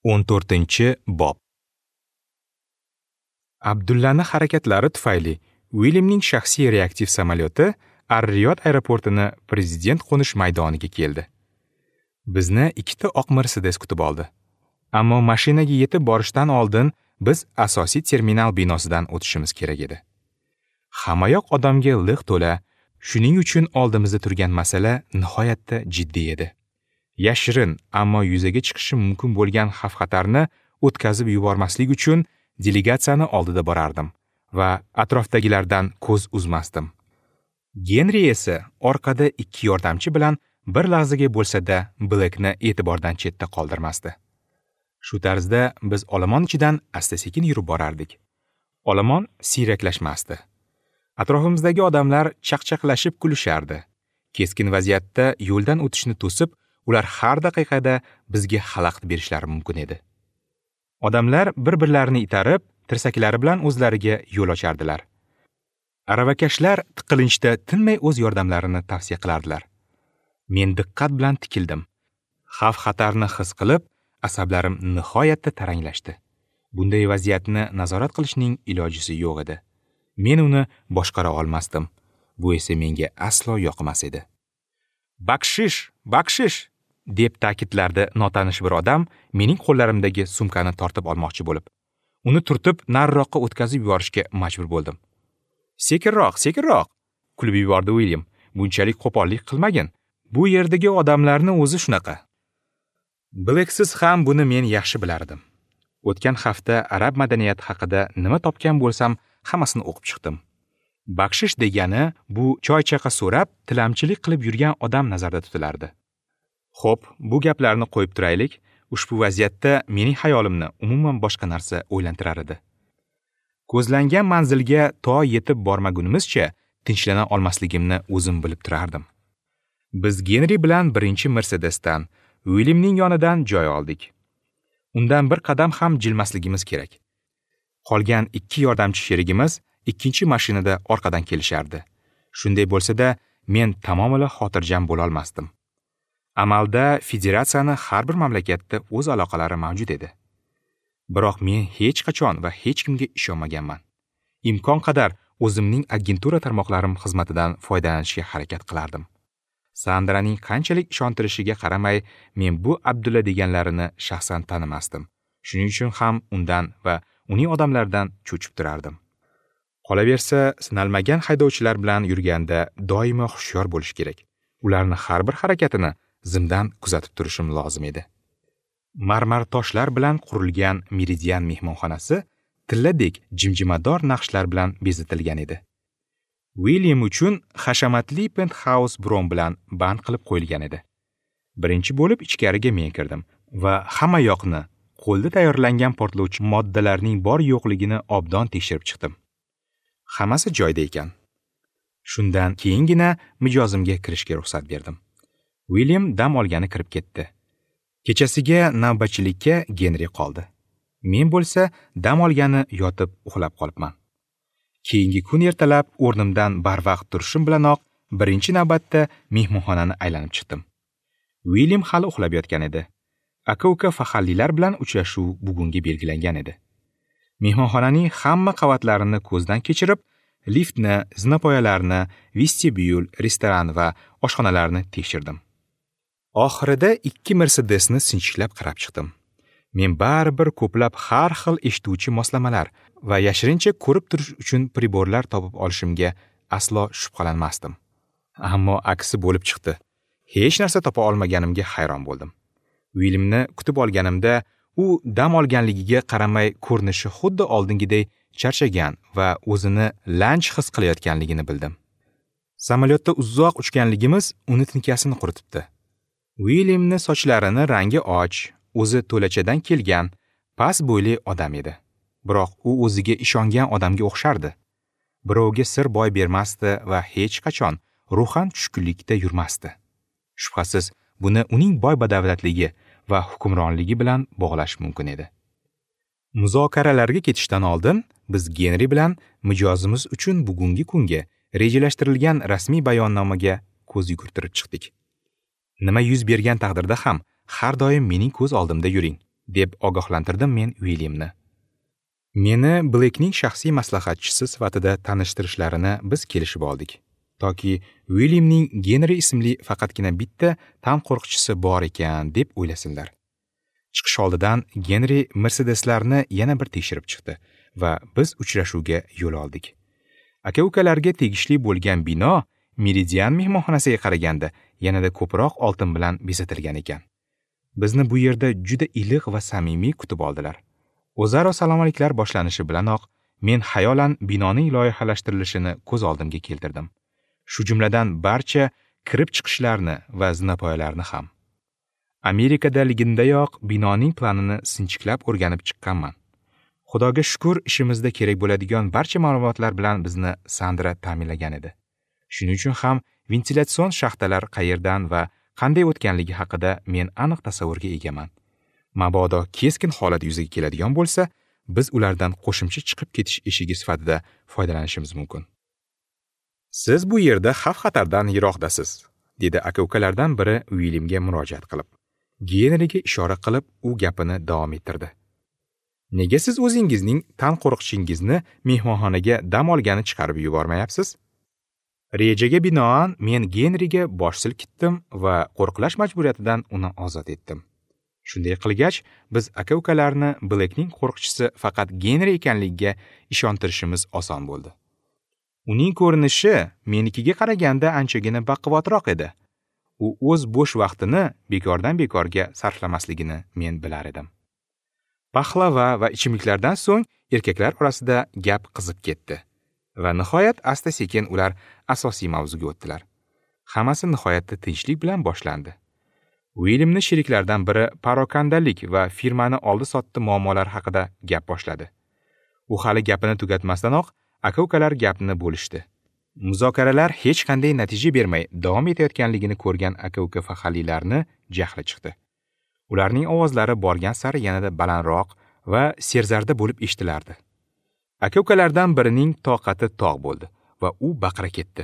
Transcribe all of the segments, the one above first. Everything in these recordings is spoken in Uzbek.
14-bob. Abdullani harakatlari tufayli Uilyamning shaxsiy reaktiv samolyoti Ar-Riyod aeroportini prezident qo'nish maydoniga keldi. Bizni ikkita oq Mercedes kutib oldi. Ammo mashinaga yetib borishdan oldin biz asosiy terminal binosidan o'tishimiz kerak edi. Hammayoq odamga liq to'la, shuning uchun oldimizda turgan masala nihoyatda jiddiy edi. Yashirin, ammo yuzaga chiqishi mumkin bo'lgan xavf-xatarni o'tkazib yubormaslik uchun delegatsiyani oldida borardim va atrofdagilardan ko'z uzmasdim. Genri esa orqada ikki yordamchi bilan bir lahzaga bo'lsa-da Blackni e'tibordan chetda qoldirmasdi. Shu tarzda biz olomon ichidan asta-sekin yurib borardik. Olomon siyraklashmasdi. Atrofimizdagi odamlar chaqchaqlashib kulishardi. Keskin vaziyatda yo'ldan o'tishni to'sib, ular har daqiqada bizga xalaqit berishlari mumkin edi. Odamlar bir-birlarini itarib, tirsaklari bilan o'zlariga yo'l ochardilar. Aravakashlar tiqilinchda tinmay o'z yordamlarini tavsiya qilardilar. Men diqqat bilan tikildim. Xavf-xatarni his qilib, asablarim nihoyatda taranglashdi. Bunday vaziyatni nazorat qilishning ilojisi yo'q edi. Men uni boshqara olmasdim. Bu esa menga aslo yoqmas edi. "Bakshish, bakshish!" deb ta'kidlardi notanish bir odam mening qo'llarimdagi sumkani tortib olmoqchi bo'lib. Uni turtib nariroqqa o'tkazib yuborishga majbur bo'ldim. "Sekinroq, sekinroq!" kulib yubordi Uilyam. "Bunchalik qo'pollik qilmagin. Bu yerdagi odamlarni o'zi shunaqa." Blacksiz ham buni men yaxshi bilardim. O'tgan hafta arab madaniyati haqida nima topgan bo'lsam, hammasini o'qib chiqdim. Bakshish degani bu choy-chaqa so'rab, tilamchilik qilib yurgan odam nazarda tutilardi. Xo'p, bu gaplarni qo'yib turaylik. Ushbu vaziyatda mening hayolimni umuman boshqa narsa o'ylantirar edi. Ko'zlangan manzilga to yetib bormagunimizcha tinchlana olmasligimni o'zim bilib turardim. Biz Genri bilan birinchi Mercedesdan, Uilyamning yonidan joy oldik. Undan bir qadam ham jilmasligimiz kerak. Qolgan ikki yordamchi sherigimiz ikkinchi mashinada orqadan kelishardi. Shunday bo'lsa-da, men tamomila xotirjam bo'la olmasdim. Amalda federatsiyani har bir mamlakatda o'z aloqalari mavjud edi. Biroq men hech qachon va hech kimga ishonmaganman. Imkon qadar o'zimning agentura tarmoqlarim xizmatidan foydalanishga harakat qilardim. Sandraning qanchalik ishontirishiga qaramay, men bu Abdulla deganlarini shaxsan tanimasdim. Shuning uchun ham undan va uning odamlaridan cho'chib turardim. Qolaversa, sinalmagan haydovchilar bilan yurganda doimo hushyor bo'lish kerak. Ularni har bir harakatini zimdan kuzatib turishim lozim edi. Marmar toshlar bilan qurilgan Meridian mehmonxonasi tilladek jimjimador naqshlar bilan bezatilgan edi. Uilyam uchun hashamatli penthouse bron bilan band qilib qo'yilgan edi. Birinchi bo'lib ichkariga men kirdim va hamma yoqni qo'lda tayyorlangan portlovchi moddalarning bor yo'qligini obdon tekshirib chiqdim. Hammasi joyida ekan. Shundan keyingina mijozimga kirishga ruxsat berdim. Uilyam dam olgani kirib ketdi. Kechasiga navbatchilikka Genri qoldi. Men bo'lsa dam olgani yotib uxlab qolibman. Keyingi kun ertalab o'rnimdan barvaqt turishim bilanoq birinchi navbatda mehmonxonani aylanib chiqdim. Uilyam hali uxlab yotgan edi. Aka-uka faxrlilar bilan uchrashuv bugunga belgilangan edi. Mehmonxonaning hamma qavatlarini ko'zdan kechirib, liftni, zinapoyalarni, vestibyul, restoran va oshxonalarni tekshirdim. Oxirida ikki Mercedesni sinchiklab qarab chiqdim. Men baribir ko'plab har xil eshituvchi moslamalar va yashirincha ko'rib turish uchun priborlar topib olishimga aslo shubhalanmasdim. Ammo aksi bo'lib chiqdi. Hech narsa topa olmaganimga hayron bo'ldim. Uilyamni kutib olganimda u dam olganligiga qaramay ko'rinishi xuddi oldingiday charchagan va o'zini lanch his qilayotganligini bildim. Samolyotda uzoq uchganligimiz uni tinkasini quritibdi. Uilyamni sochlarini rangi och, o'zi to'lachadan kelgan, past bo'yli odam edi. Biroq u o'ziga ishongan odamga o'xshardi. Birovga sir boy bermasdi va hech qachon ruhan tushkunlikda yurmasdi. Shubhasiz, buni uning boy badavlatligi va hukmronligi bilan bog'lash mumkin edi. Muzokaralarga ketishdan oldin biz Genri bilan mijozimiz uchun bugungi kunga rejalashtirilgan rasmiy bayonnomaga ko'z yugurtirib chiqdik. Nima yuz bergan taqdirda ham har doim mening ko'z oldimda yuring. deb ogohlantirdim men Uilyamni. Meni Blekning shaxsiy maslahatchisi sifatida tanishtirishlarini biz kelishib oldik. Toki Uilyamning Genri ismli faqatgina bitta tan qo'riqchisi bor ekan deb o'ylasinlar. Chiqish oldidan Genri Mercedeslarni yana bir tekshirib chiqdi va biz uchrashuvga yo'l oldik. Aka-ukalarga tegishli bo'lgan bino Meridian mehmonxonasiga qaraganda yanada ko'proq oltin bilan bezatilgan ekan. Bizni bu yerda juda iliq va samimiy kutib oldilar. O'zaro salomliklar boshlanishi bilanoq men xayolan binoning loyihalashtirilishini ko'z oldimga keltirdim. Shu jumladan barcha kirib chiqishlarni va zinapoyalarni ham. Amerikadaligimdayoq binoning planini sinchiklab o'rganib chiqqanman. Xudoga shukr, ishimizda kerak bo'ladigan barcha ma'lumotlar bilan bizni Sandra ta'minlagan edi. Shuning uchun ham ventilyatsion shaxtalar qayerdan va qanday o'tganligi haqida men aniq tasavvurga egaman. Mabodo keskin holat yuzaga keladigan bo'lsa, biz ulardan qo'shimcha chiqib ketish eshigi sifatida foydalanishimiz mumkin. Siz bu yerda xavf-xatardan yiroqdasiz, dedi aka-ukalardan biri Uilyamga murojaat qilib. Genriga ishora qilib, u gapini davom ettirdi. Nega siz o'zingizning tan qo'riqchingizni mehmonxonaga dam olgani chiqarib yubormayapsiz? Rejaga binoan men Genriga bosh silkitdim va qo'riqlash majburiyatidan uni ozod etdim. Shunday qilgach, biz aka-ukalarni Blekning qo'riqchisi faqat Genri ekanligiga ishontirishimiz oson bo'ldi. Uning ko'rinishi menikiga qaraganda anchagina baquvvatroq edi. U o'z bo'sh vaqtini bekordan bekorga sarflamasligini men bilar edim. Paxlava va ichimliklardan so'ng erkaklar orasida gap qizib ketdi va nihoyat asta-sekin ular asosiy mavzuga o'tdilar. Hammasi nihoyatda tinchlik bilan boshlandi. Uilyamni sheriklardan biri parokandalik va firmani oldi-sotdi muammolari haqida gap boshladi. U hali gapini tugatmasdanoq aka-ukalar gapni bo'lishdi. Muzokaralar hech qanday natija bermay davom etayotganligini ko'rgan aka-uka faxrlilarni jahli chiqdi. Ularning ovozlari borgan sari yanada balandroq va serzarda bo'lib eshitilardi. Aka-ukalardan birining toqati tog' bo'ldi va u baqira ketdi.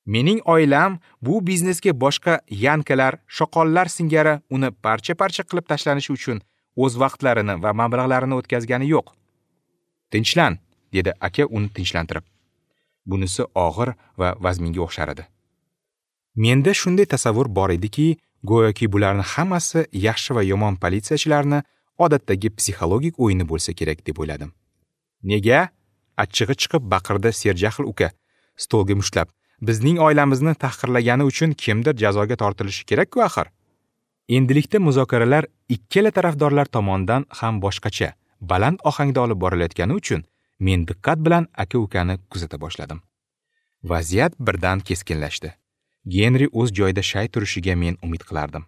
Mening oilam bu biznesga boshqa yankalar, shoqollar singari uni parcha-parcha qilib tashlanishi uchun o'z vaqtlarini va mablag'larini o'tkazgani yo'q. Tinchlan, dedi aka uni tinchlantirib. Bunisi og'ir va vazminga o'xshar edi. Menda shunday tasavvur bor ediki, go'yoki bularning hammasi yaxshi va yomon politsiyachilarni odatdagi psixologik o'yini bo'lsa kerak deb o'yladim. Nega? Achchig'i chiqib baqirdi serjahl uka, stolga mushtlab. Bizning oilamizni tahqirlagani uchun kimdir jazoga tortilishi kerak-ku axir. Endilikda muzokaralar ikkala tarafdorlar tomonidan ham boshqacha, baland ohangda olib borilayotgani uchun men diqqat bilan aka-ukani kuzata boshladim. Vaziyat birdan keskinlashdi. Genri o'z joyida shay turishiga men umid qilardim.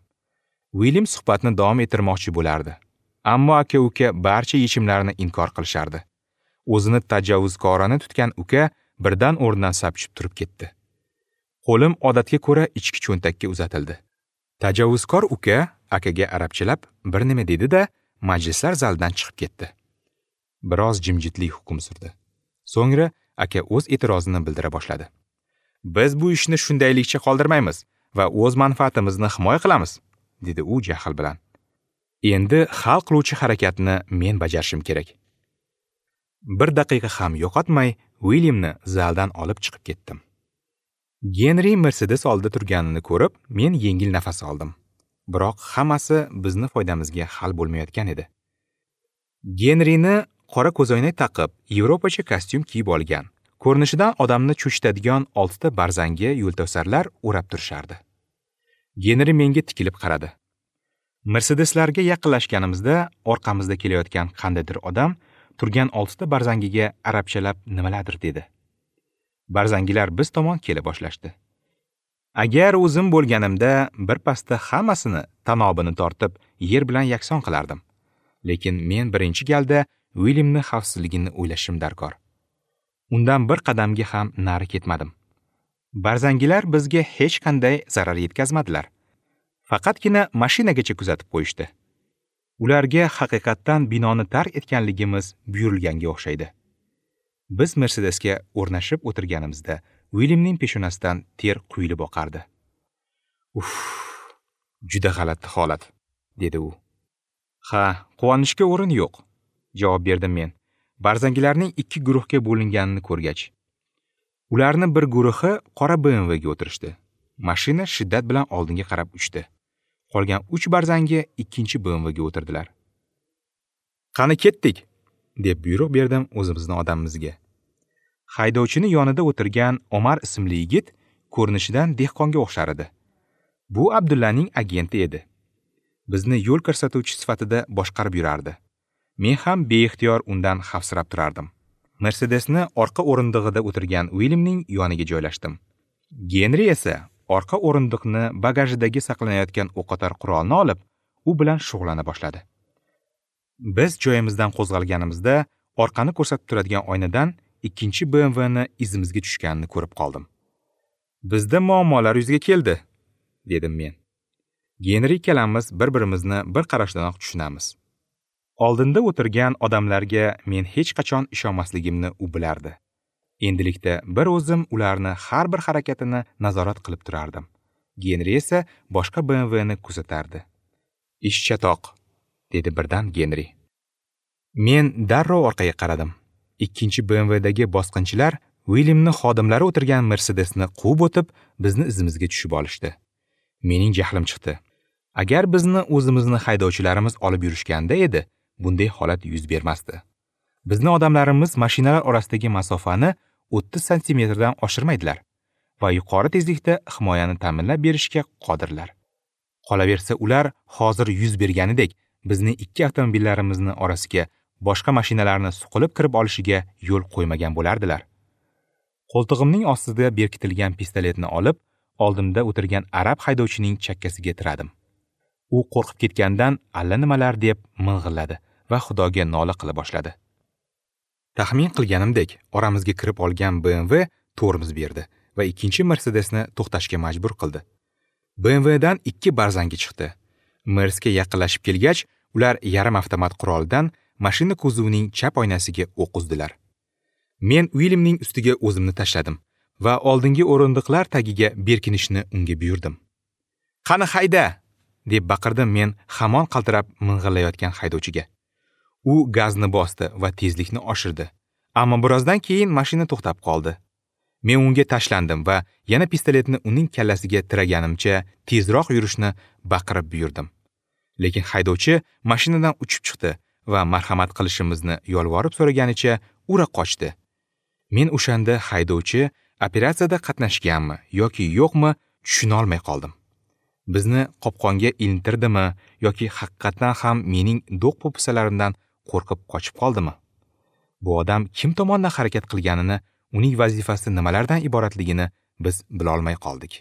Uilyam suhbatni davom ettirmoqchi bo'lardi. Ammo aka-uka barcha yechimlarni inkor qilishardi. O'zini tajovuzkorona tutgan uka birdan o'rnidan sapchib turib ketdi. Qo'lim odatga ko'ra ichki cho'ntakka uzatildi. Tajovuzkor uka akaga arabchalab bir nima dedi-da, majlislar zalidan chiqib ketdi. Biroz jimjitlik hukm surdi. So'ngra aka o'z e'tirozini bildira boshladi. Biz bu ishni shundaylikcha qoldirmaymiz va o'z manfaatimizni himoya qilamiz, dedi u jahl bilan. Endi hal qiluvchi harakatni men bajarishim kerak. Bir daqiqa ham yo'qotmay Uilyamni zaldan olib chiqib ketdim. Genri Mercedes oldida turganini ko'rib, men yengil nafas oldim. Biroq hammasi bizni foydamizga hal bo'lmayotgan edi. Genrini qora ko'zoynak taqib, yevropacha kostyum kiyib olgan. Ko'rinishidan odamni cho'chitadigan 6 ta barzangi yo'ltovsarlar o'rab turishardi. Genri menga tikilib qaradi. Mercedeslarga yaqinlashganimizda orqamizda kelayotgan qandaydir odam turgan 6 ta barzangiga arabchalab nimalardir dedi. Barzangilar biz tomon kela boshlashdi. Agar o'zim bo'lganimda bir pasda hammasini tanobini tortib yer bilan yakson qilardim. Lekin men birinchi galda Uilyamni xavfsizligini o'ylashim darkor. Undan bir qadamga ham nari ketmadim. Barzangilar bizga hech qanday zarar yetkazmadilar. Faqatgina mashinagacha kuzatib qo'yishdi. Ularga haqiqatdan binoni tark etganligimiz buyurilganga o'xshaydi. Biz Mercedesga o'rnashib o'tirganimizda Uilyamning peshonasidan ter quyilib oqardi. Uff, juda g'alati holat, dedi u. Ha, quvonishga o'rin yo'q, javob berdim men. Barzangilarning 2 guruhga bo'linganini ko'rgach. Ularni bir guruhi qora BMW ga o'tirishdi. Mashina shiddat bilan oldinga qarab uchdi. Qolgan 3 barzangi ikkinchi BMW ga o'tirdilar. Qani ketdik, deb buyruq berdim o'zimizni odamimizga. Haydovchini yonida o'tirgan Omar ismli yigit ko'rinishidan dehqonga o'xshar edi. Bu Abdullaning agenti edi. Bizni yo'l ko'rsatuvchi sifatida boshqarib yurardi. Men ham beixtiyor undan xavfsirab turardim. Mercedesni orqa o'rindig'ida o'tirgan Uilyamning yoniga joylashdim. Genri esa orqa o'rindiqni bagajidagi saqlanayotgan o'qotar qurolni olib, u bilan shug'ullana boshladi. Biz joyimizdan qo'zg'alganimizda orqani ko'rsatib turadigan oynadan ikkinchi BMW ni izimizga tushganini ko'rib qoldim. Bizda muammolar yuzaga keldi, dedim men. Genri ikkalamiz bir-birimizni bir qarashdanoq tushunamiz. Oldinda o'tirgan odamlarga men hech qachon ishonmasligimni u bilardi. Endilikda bir o'zim ularni har bir harakatini nazorat qilib turardim. Genri esa boshqa BMW ni kuzatardi. Ish chatoq, dedi birdan Genri. Men darrov orqaga qaradim. Ikkinchi BMWdagi bosqinchilar Uilyamni xodimlari o'tirgan Mercedesni quvib o'tib, bizni izimizga tushib olishdi. Mening jahlim chiqdi. Agar bizni o'zimizni haydovchilarimiz olib yurishganda edi, bunday holat yuz bermasdi. Bizni odamlarimiz mashinalar orasidagi masofani 30 santimetrdan oshirmaydilar va yuqori tezlikda himoyani ta'minlab berishga qodirlar. Qolaversa, ular hozir yuz berganidek bizni ikki avtomobillarimizni orasiga boshqa mashinalarni suqilib kirib olishiga yo'l qo'ymagan bo'lardilar. Qo'ltig'imning ostida berkitilgan pistoletni olib, oldimda o'tirgan arab haydovchining chakkasiga tiradim. U qo'rqib ketgandan allanimalar deb ming'illadi va Xudoga nola qila boshladi. Taxmin qilganimdek, oramizga kirib olgan BMW tormoz berdi va ikkinchi Mercedesni to'xtashga majbur qildi. BMW dan 2 barzangi chiqdi. Mersga yaqinlashib kelgach, ular yarim avtomat quroldan mashina kuzovining chap oynasiga o'q uzdilar. Men Uilyamning ustiga o'zimni tashladim va oldingi o'rindiqlar tagiga berkinishni unga buyurdim. "Qani hayda!" deb baqirdim men hamon qaltirab ming'illayotgan haydovchiga. U gazni bosdi va tezlikni oshirdi. Ammo birozdan keyin mashina to'xtab qoldi. Men unga tashlandim va yana pistoletni uning kallasiga tiraganimcha tezroq yurishni baqirib buyurdim. Lekin haydovchi mashinadan uchib chiqdi va marhamat qilishimizni yolvorib so'raganicha ura qochdi. Men o'shanda haydovchi operatsiyada qatnashganmi yoki yo'qmi tushuna olmay qoldim. Bizni qopqonga ilintirdimi yoki haqiqatan ham mening do'q po'pisalarimdan qo'rqib qochib qoldimi? Bu odam kim tomonidan harakat qilganini, uning vazifasi nimalardan iboratligini biz bila olmay qoldik.